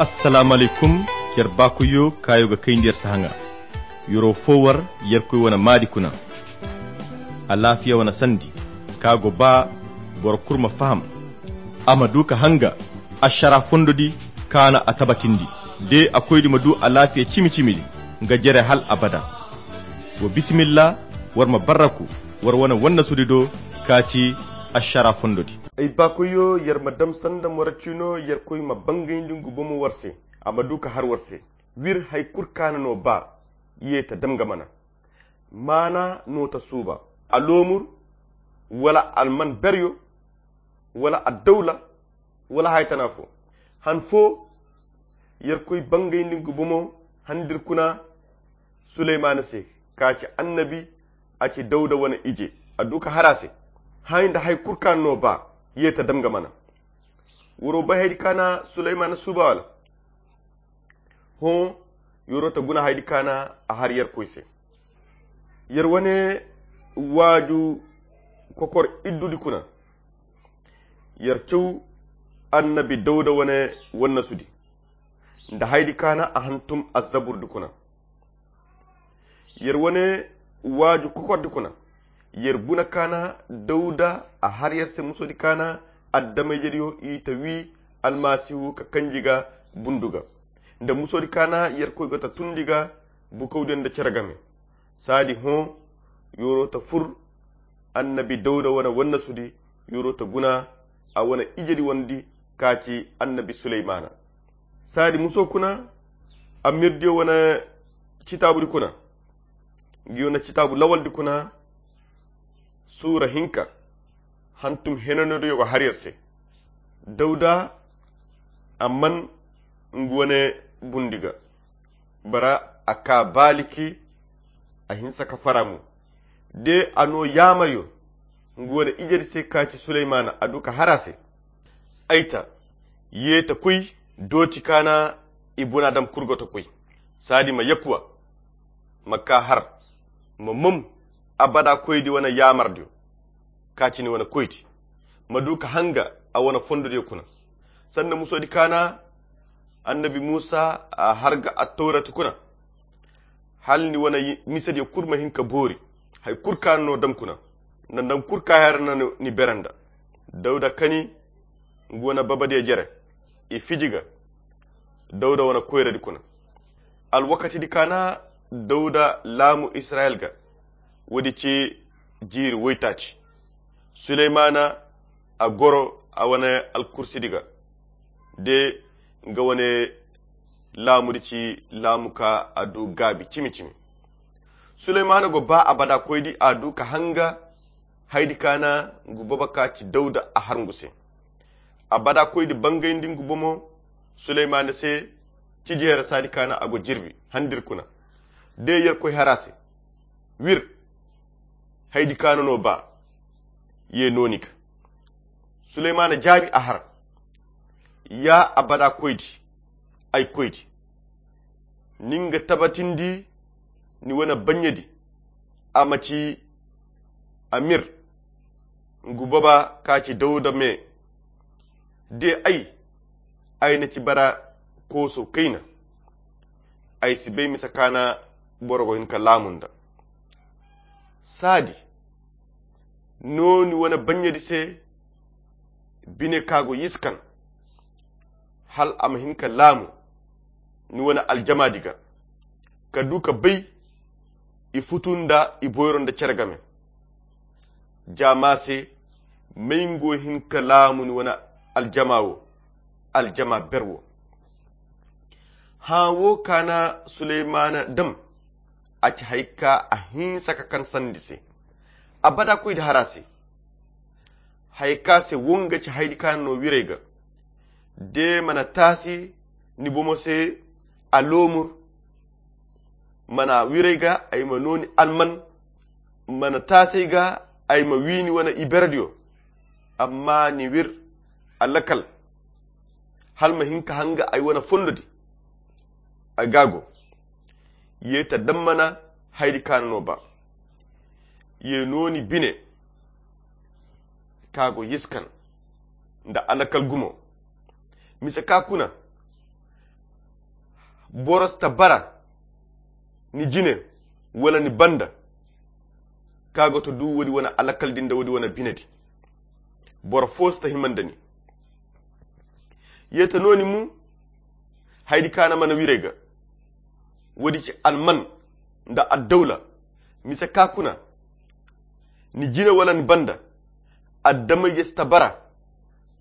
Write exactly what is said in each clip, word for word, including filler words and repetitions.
Assalaamu alaykum. Yer baakoyyo kaayo ga kayndi yer si haŋa. Yer'o fo war yerkoy wane maadi kuna. Alaafiya wane sandi ka go ba boro kulu ma faham, a ma du ka hanga ašara fondo di kaana a tabatindi. De a koydi ma du alaafiya cimi-cimi di nga jere hal abada. Wa bisimilla, war ma barraku war wane wannasudi do ka ci ašara fondo di. Ay baakoyyo, yer ma dam sanda mora ciino yerkoy ma bangayndi ngu bomo war se, a ma du ka har war se. Wir hay kul kaana no ba, ye ta dam nga mana. Maana no ta suuba, aloomur, wala alman beryo, wala addawla, wala haytana fo. Han fo yerkoy bangayndi ngu bomo handir kuna suleymaana se, ka ci annabi, a ci dawda wane ije, a du ka har a se. Hay nda hay kul kaana no ba, ye ta dam nga mana. Wuro bay haydi kaana suleymaana suuba wala? Hõ, yer'o ta guna haydi kaana a har yerkoy se. Yer wane waaju kokor iddudi kuna. Yer caw annabi dawda wane wannasudi nda haydi kaana a hantum azzaburdi kuna. Yer wane waaju kokordi kuna. Yer guna kaana dawda a har yer se musodi kaana addamayjediyo i ta wi almasihu ka kanji ga bundu ga nda musodi kaana yerkoy go ta tundi ga bukawdiyo nda cere game. Saadi hõ, yer'o ta fur annabi dawda wane wannasudi, yer'o ta guna a wane ijedi wandi ka ci annabi suleymaana. Saadi muso kuna amirdiyo wane citaabudi kuna. Ngiyo na citaabu lawaldi kuna suura hinka hantum henanodiyo go har yer se. Dawda a man ngu wane bundi ga bara a ka baaliki a hinsa ka fara mo. De a no yaamaryo ngu wane ijedi se ka ci suleymaana a du ka har a se. Ay ta, ye ta koy dooti kaana i bunaadam kul go ta koy. Saadi ma yakuwa ma ka har ma mom abada koydi wane yaamardiyo ka ci ni wane koydi ma du ka hanga a wane fondodiyo kuna. Sanda musodi kaana annabi muusa a har ga attawrati kuna hal ni wane misediyo kul ma hin ka boori. Hay kul kaana no dam kuna nda nda kul kaana hara na ni bere nda dawda kani ngu wane babadiyo jere i fiji ga dawda wane koyradi kuna. Alwakatidi kaana dawda laamu israyil ga woodi ci jiiri woytaaci. Suleymaana a goro a wane alkursidi ga de nga wane laamudi ci laamu ka a du gaabi cimi-cimi. Suleymaana go ba abada koydi a du ka hanga haydi kaana ngu boobo ka ci dawda a har ngu se. Abada koydi bangayndi ngu bomo suleymaana se. Ciji here saadi kaana a go jirbi handir kuna de yerkoy har a se. Wir haydi kaana no ba ye no ni ga. Suleymaana jaabi a har. Ya abada koydi ay koydi ni nga tabatindi ni wane baɲɲedi a ma ci amir ngu baba ka ci dawda me. De ay ay na ci bara kooso kayna ay si bay misa kaana boro go hin ka laamu nda saadi no ni wane baɲɲedi se bine ka go yiskan hal a ma hin ka laamu ni wane aljamaadi ga ka du ka bay i futu nda i boyro nda cere game. Jaama se may ngo hin ka laamu ni wane aljama wo aljama ber wo. Hã wo kaana suleymaana dam a ci hay ka a hinsa ka kan sandi se. Abada koydi har a se hay ka se wo nga ci haydi kaana no wirey ga. De mana taasi ni bomo se aloomur mana wirey ga ay ma no ni alman mana taasey ga ay ma wi ni wane iberediyo. Amma ni wir alakal hal ma hin ka hanga ay wane fondodi. Ay ga go ye ta dammana haydi kaana no ba ye no ni bine ka go yiskan nda alakal gumo. Mise ka kuna Boro si ta bara ni jine wala ni banda, ka go ta du woodi wane alakal di nda woodi wane bine di. Boro fo si ta hima nda ni. Ye ta no ni mu haydi kaana mana wirey ga. Woodi ci alman nda addawla. Mise ka kuna ni jine wala ni banda, addamayje si ta bara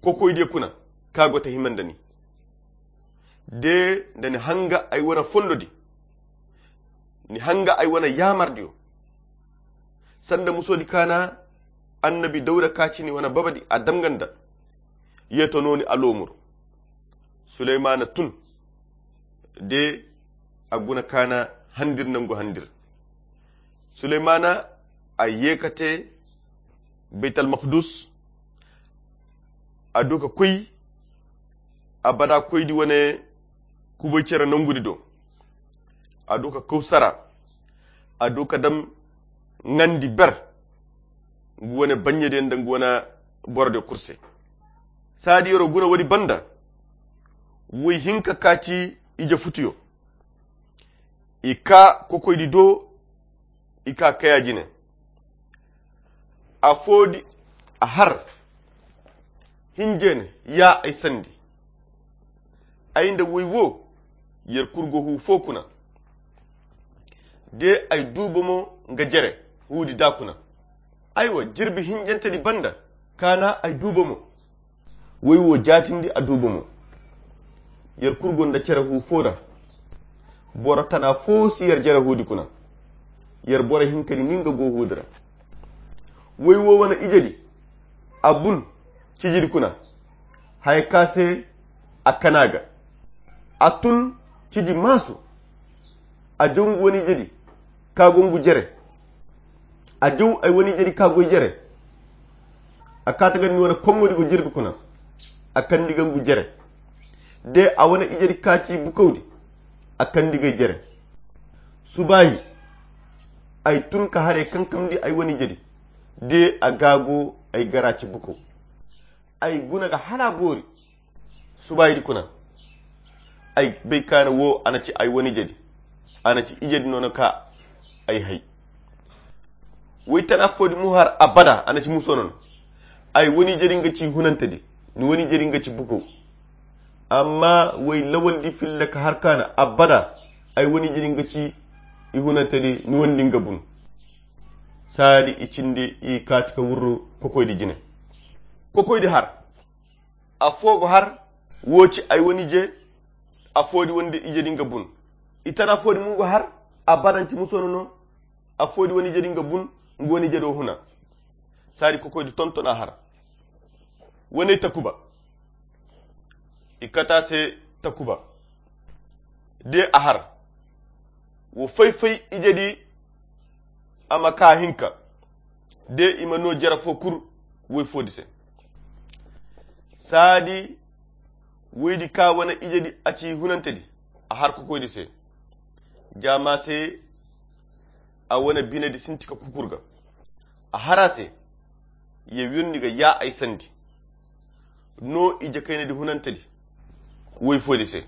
kokoydiyo kuna ka go ta hima nda ni. De nda ni hanga ay wane fondo di, ni hanga ay wane yaamardiyo. Sanda muso di kaana annabi dawda ka ci ni wane baba di a damganda. Ye to no ni a loomur. Suleymana tun de a guna kaana handir nangu handir. Suleymana a ye ka te baytal makdus. A du ka koy abada koydi wane kubay cere nangudi do. A du ka kawsara a du ka dam ŋandi ber. Ngu wane baɲɲe de nda ngu wane boro de kurse. Saadi yoro guna woodi banda woy hinka ka ci ije futuyo. I ka kokoydi do i ka kaya jine. Afo di a har hinje ne ya ay sandi. Ay nda woy wo yer kulu go hu fo kuna. De ay du bomo nga jere hu di da kuna. Aywa jirbi hinjante di banda kaana ay du bomo. Woy wo jaatindi a du bomo. Yer kulu gonda cere hu fo da. Boro tana fo si yer jere hu di kuna. Yer boro hinka di ninga go hu di ra. Woy wo wane ije di a bun ciji di kuna. Haya ka se a kana ga a tun ciji maasu. A jaw ngu wane ije di ka go ngu jere. A jaw ay wane ije di ka goy jere. A kaata ga ni wane koŋŋo di go jirbi kuna. A kandi ga ngu jere. De a wane ije di ka ci bukaw di. A kandi ga jere. Subaahi ay tun ka haray kankamndi ay wane ije di. De a gaago ay gara ci bukaw. Ay guna ga hala boori. Subaahi di kuna ay bay kaana wo a na ci ay wane ije di. A na ci ije di no no ka ay hay. Woy tana fo di mu har abada a na ci muso no no. Ay wane ije di nga ci hunante di. Ni wane ije di nga ci bukaw. Amma woy lawal di filla ka har kaana abada. Ay wane ije di nga ci i hunante di ni wane di nga bun. Saadi i cindi i kaati ka wurru kokoydi jine. Kokoydi har afo go har wo ci ay wane ije. Afo di wane ije di nga bun. I tana fo di mo go har abada nci muso no no. Afo di wane ije di nga bun. Nga wane ije do huna. Saadi kokoydi tonton a har. Wane takuba i kata se takuba. De a har wo fay-fay ije di a ma ka hinka. De i ma no jere fo kul woy fo di se. Saadi woy di ka wane ije di a ci hunante di a har kokoy di se. Jaama se a wane bine di sinti ka kukur ga. A har a se ye wirndi ga ya ay sandi. No ije kayna di hunante di woy fo di se.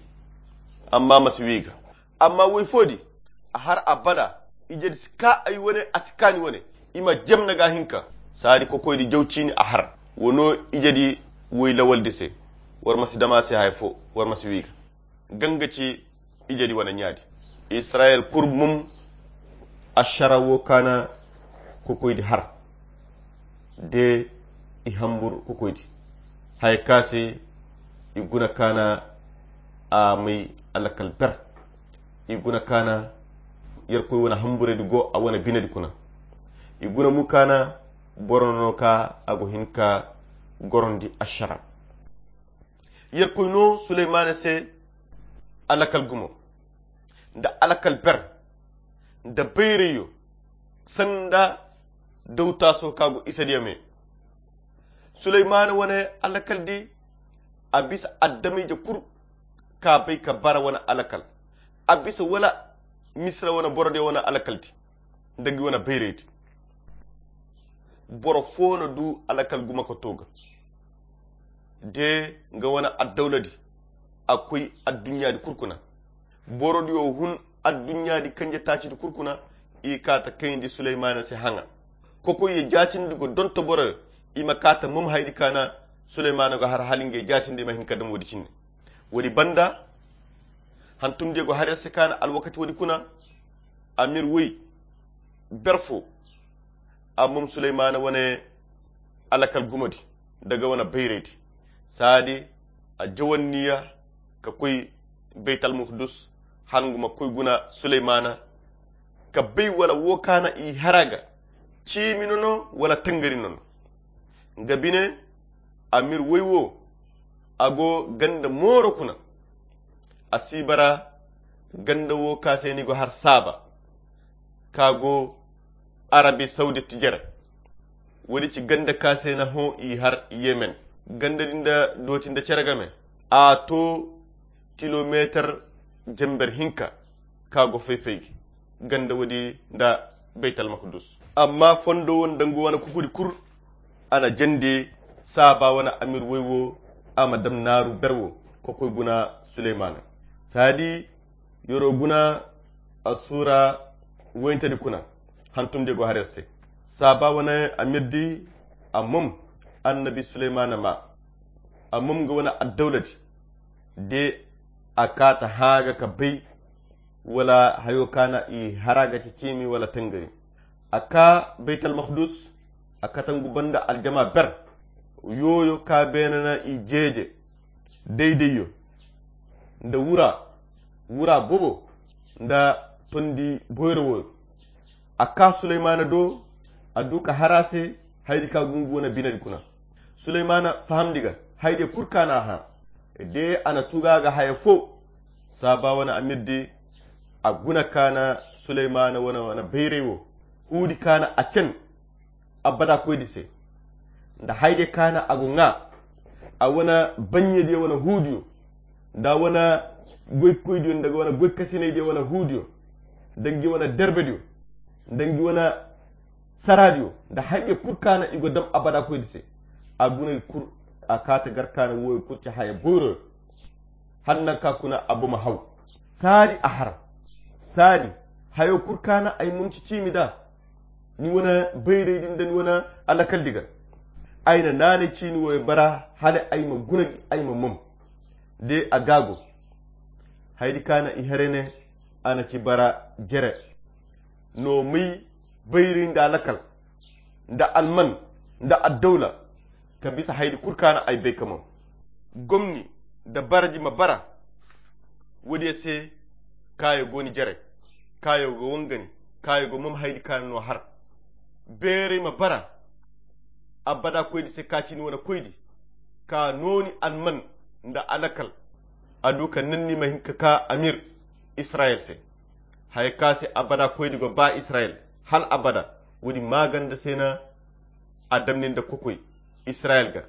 Amma ma si wi ga. Amma woy fo di a har abada ije di si ka ay wane a si kaani wane. I ma jemna ga hinka. Saadi kokoy di jaw ciini a har wo no ije di woy lawal di se. War ma si dama se haya fo war ma si wi ga. Ganga ci ije di wane ɲaadi. Israyel kul mum a shara wo kaana kokoydi har. De i hambur kokoydi haya ka se i guna kaana a may alakal ber. I guna kaana yerkoy wane hamburedi go a wane binedi kuna. I guna mu kaana boro no ka a go hin ka gorondi a shara. Yerkoy no suleymana se alakal gumo nda alakal ber nda bayrayo sanda dawtaso ka go isadiya me. Suleymana wane alakal di a bisa adamije kul ka bay ka bara wane alakal. A bisa wala misira wane borodiya wane alakal di nda gi wane bayraydi. Boro fo no du alakal gumo ka to ga de nga wane addawla di a koy adduɲɲa di kul kuna. Borodiyo hun adduɲɲaadi kanje taacidi kul kuna. I kaata kayndi Suleymana se haŋa. Kokoyyo jaatindi go donto boroyo. I ma kaata mom haydi kaana Suleymana go har hala ngey jaatindi ma hin ka dam woodi cindi. Woodi banda hantumdiyo go har yer se kaana alwakati woodi kuna. Amir woy ber fo a mom Suleymana wane alakal gumodi daga wane bayraydi. Saadi a jawanniya ka koy baytalmukdus. Hanguma koy guna Suleymana ka bay wala wo kaana i hara ga ciimi nono wala tangari nono. Nga bine amir woy wo a go ganda mooro kuna. A si bara ganda wo ka se ni go har saaba ka go arabi sawdit jere. Woodi ci ganda ka se na hõ i har yemen. Ganda din da dooti nda cere game a to kilomeetar jamber hinka ka go fay-fay ganda woodi nda baytalmukdus. Amma fondo wo nda ngu wane kukudi kul a na jandi saaba wane amir woy wo a ma dam naaru ber wo ka koy guna Suleymana. Saadi yoro guna asura woyntedi kuna hantumdiyo go har yer se. Saaba wane amirdi a mom annabi Suleymana ma a mom nga wane addawladi de a kaata haaga ka bay wala hayo kaana i hara ga ci ciimi wala tangari. A ka baytalmukdus a katangu banda aljama ber yooyo ka beene na i jeeje daydayyo nda wura wura bobo nda tondi boyro woyo. A ka Suleymana do a du ka har a se haydi ka gungu wane binedi kuna. Suleymana fahamndi ga haydiyo kul kaana a hã de a na tuga ga haya fo. Saaba wane amirdi a guna kaana Suleymana wane wane bayray wo huudi kaana a cen abada koydi se nda haydiyo kaana a go ŋa a wane baɲɲediyo wane huudiyo nda wane goykoydiyo nda wane goykasinaydiyo wane huudiyo nda ngi wane derbediyo nda ngi wane saraadiyo nda haydiyo kul kaana i go dam abada koydi se. A guna i kul a kaata gar kaana wooyo kul ci haya boyroyo. Hala nanka kuna a boma haw saadi a har saadi hayo kul kaana ay mum ci ciimi da ni wane bayraydi nda ni wane alakaldi ga. Ay na naanay ciini wooyo bara hala ay ma guna gi ay ma mom de a gaago. Haydi kaana i here ne a na ci bara jere no may bayray nda alakal nda alman nda addawla ka bisa haydi kul kaana ay bay ka mom. Gomni nda baraji ma bara woodiyo se kaayo go ni jere kaayo go wangani kaayo go mom haydi kaana no har beeray ma bara abada koydi se ka ci ni wane koydi ka nooni alman nda alakal a du ka nanni ma hin ka ka amir israyil se. Haya ka se abada koydi go ba israyil hal abada. Woodi maaganda se na a damni nda kokoy israyil ga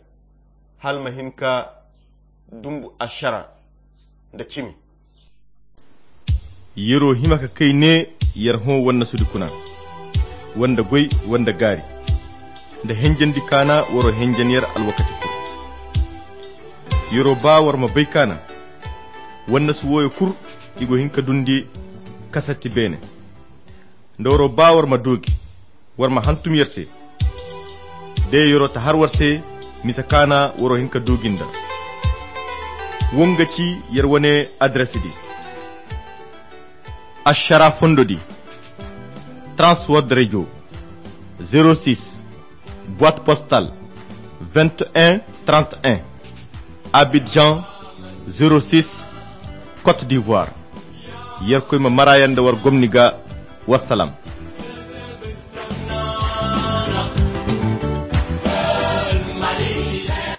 hal ma hin ka dumbu ašara nda cimi. Yer'o hima ka kay ne yer hõ wannasudi kuna wanda goy wanda gaari nda henjendi kaana war'o henjen yer alwakati kul. Yer'o ba war ma bay kaana wannasu wooyo kul i go hin ka dundi kasatti beene nda war'o ba war ma doogi war ma hantum yer se. De yer'o ta har war se misa kaana war'o hin ka doogi nda wo nga ci yer wane adresidi. Ašara fondodi transword radio zero six boite postale vingt et un trente et un, Abidjan zero six, Côte d'Ivoire. Yerkoy ma mara yer nda war gomni ga. Wassalam.